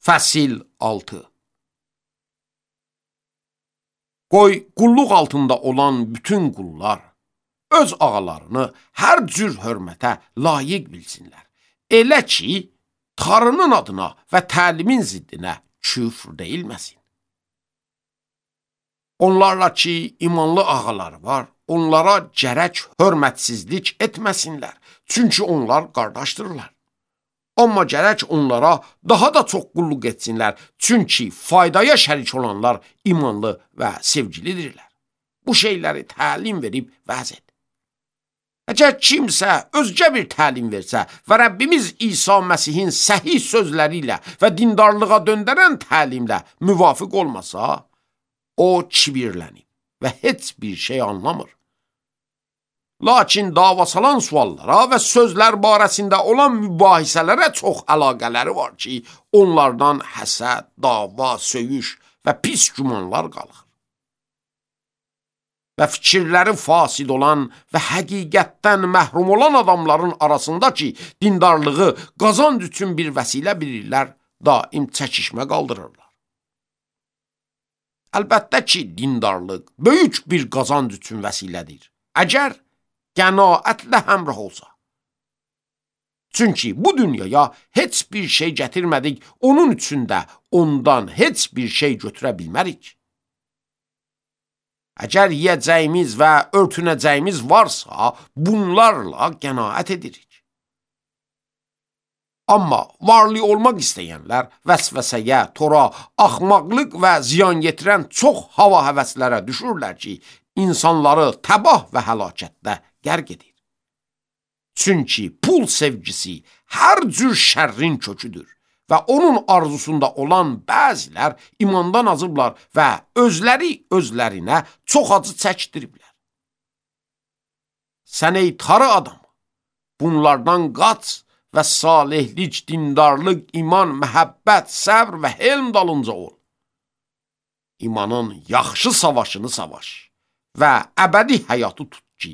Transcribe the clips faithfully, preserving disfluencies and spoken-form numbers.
Fəsil altı. Qoy qulluq altında olan bütün qullar öz ağalarını hər cür hörmətə layiq bilsinlər. Elə ki, Tanrının adına və təlimin ziddinə küfr deyilməsin. Onlarla ki, imanlı ağaları var, onlara gərək hörmətsizlik etməsinlər. Çünki onlar qardaşdırırlar. Amma gərək onlara daha da çox qulluq etsinlər. Çünki faydaya şərik olanlar imanlı və sevgilidirlər. Bu şeyləri təlim verib vəz et. Əgər kimsə özgə bir təlim versə və Rəbbimiz İsa Məsihin səhih sözləri ilə və dindarlığa döndərən təlimlə müvafiq olmasa, o kibirlənib və heç bir şey anlamır. Lakin davasalan suallara və sözlər barəsində olan mübahisələrə çox əlaqələri var ki, onlardan həsəd, dava, söyüş və pis gümanlar qalır. Və fikirləri fasid olan və həqiqətdən məhrum olan adamların arasında ki, dindarlığı qazanc üçün bir vəsilə bilirlər, daim çəkişmə qaldırırlar. Əlbəttə ki, dindarlıq böyük bir qazanc üçün vəsilədir. Əgər qənaətlə həmrah olsa. Çünki bu dünyaya heç bir şey gətirmədik, onun üçün də ondan heç bir şey götürə bilmərik. Əgər yiyəcəyimiz və örtünəcəyimiz varsa, bunlarla qənaət edirik. Amma varlı olmaq istəyənlər vəsvəsəyə, tora, axmaqlıq və ziyan yetirən çox hava həvəslərə düşürlər ki, insanları təbah və həlakətdə qərq edir. Çünki pul sevgisi hər cür şərrin köküdür və onun arzusunda olan bəzilər imandan azıblar və özləri özlərinə çox acı çəkdiriblər. Sən ey tarı adam, bunlardan qaç və salihlik, dindarlıq, iman, məhəbbət, səbr və helm dalınca ol. İmanın yaxşı savaşını savaş və əbədi həyatı tut ki,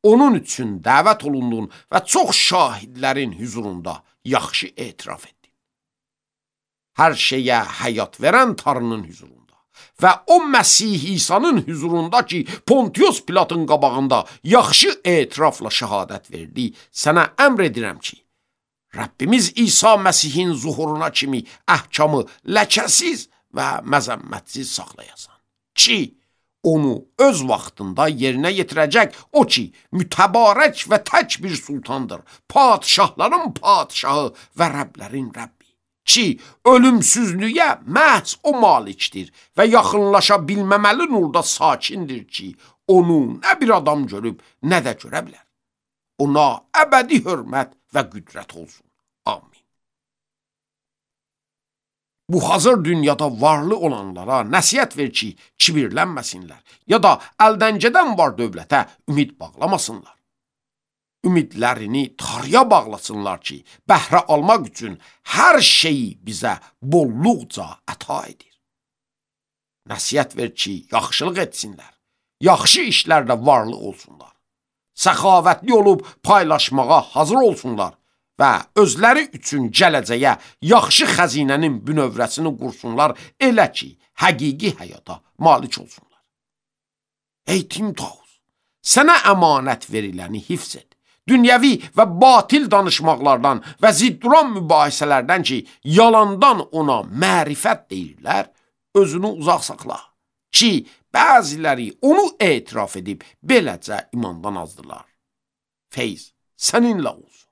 onun üçün dəvət olundun və çox şahidlərin hüzurunda yaxşı etiraf etdin. Hər şeyə həyat verən Tanrının hüzurunda və o Məsih İsa'nın hüzurunda ki, Pontius Pilatın qabağında yaxşı etirafla şəhadət verdi, sənə əmr edirəm ki, Rəbbimiz İsa Məsihin zuhuruna kimi əhkamı ləkəsiz və məzəmmətsiz saxlayasan. Ki, onu öz vaxtında yerinə yetirəcək o ki, mütəbarək və tək bir sultandır, padişahların padişahı və Rəblərin Rəbbi. Ki, ölümsüzlüyə məhz o malikdir və yaxınlaşa bilməməli nurda sakindir ki, onu nə bir adam görüb, nə də görə bilər. Ona əbədi hörmət və qüdrət olsun. Amin. Bu hazır dünyada varlı olanlara nəsihət ver ki, kibirlənməsinlər ya da əldən gedən var dövlətə ümid bağlamasınlar. Ümidlərini Tanrıya bağlasınlar ki, bəhrə almaq üçün hər şeyi bizə bolluqca əta edir. Nəsihət ver ki, yaxşılıq etsinlər, yaxşı işlərdə varlı olsunlar, səxavətli olub paylaşmağa hazır olsunlar və özləri üçün gələcəyə yaxşı xəzinənin bünövrəsini qursunlar, elə ki, həqiqi həyata malik olsunlar. Ey Timtaus, sənə əmanət veriləni hifz et. Dünyəvi və batil danışmaqlardan və zidduran mübahisələrdən ki, yalandan ona mərifət deyirlər, özünü uzaq saxla. Ki, bəziləri onu etiraf edib, beləcə imandan azdılar. Feyz səninlə olsun.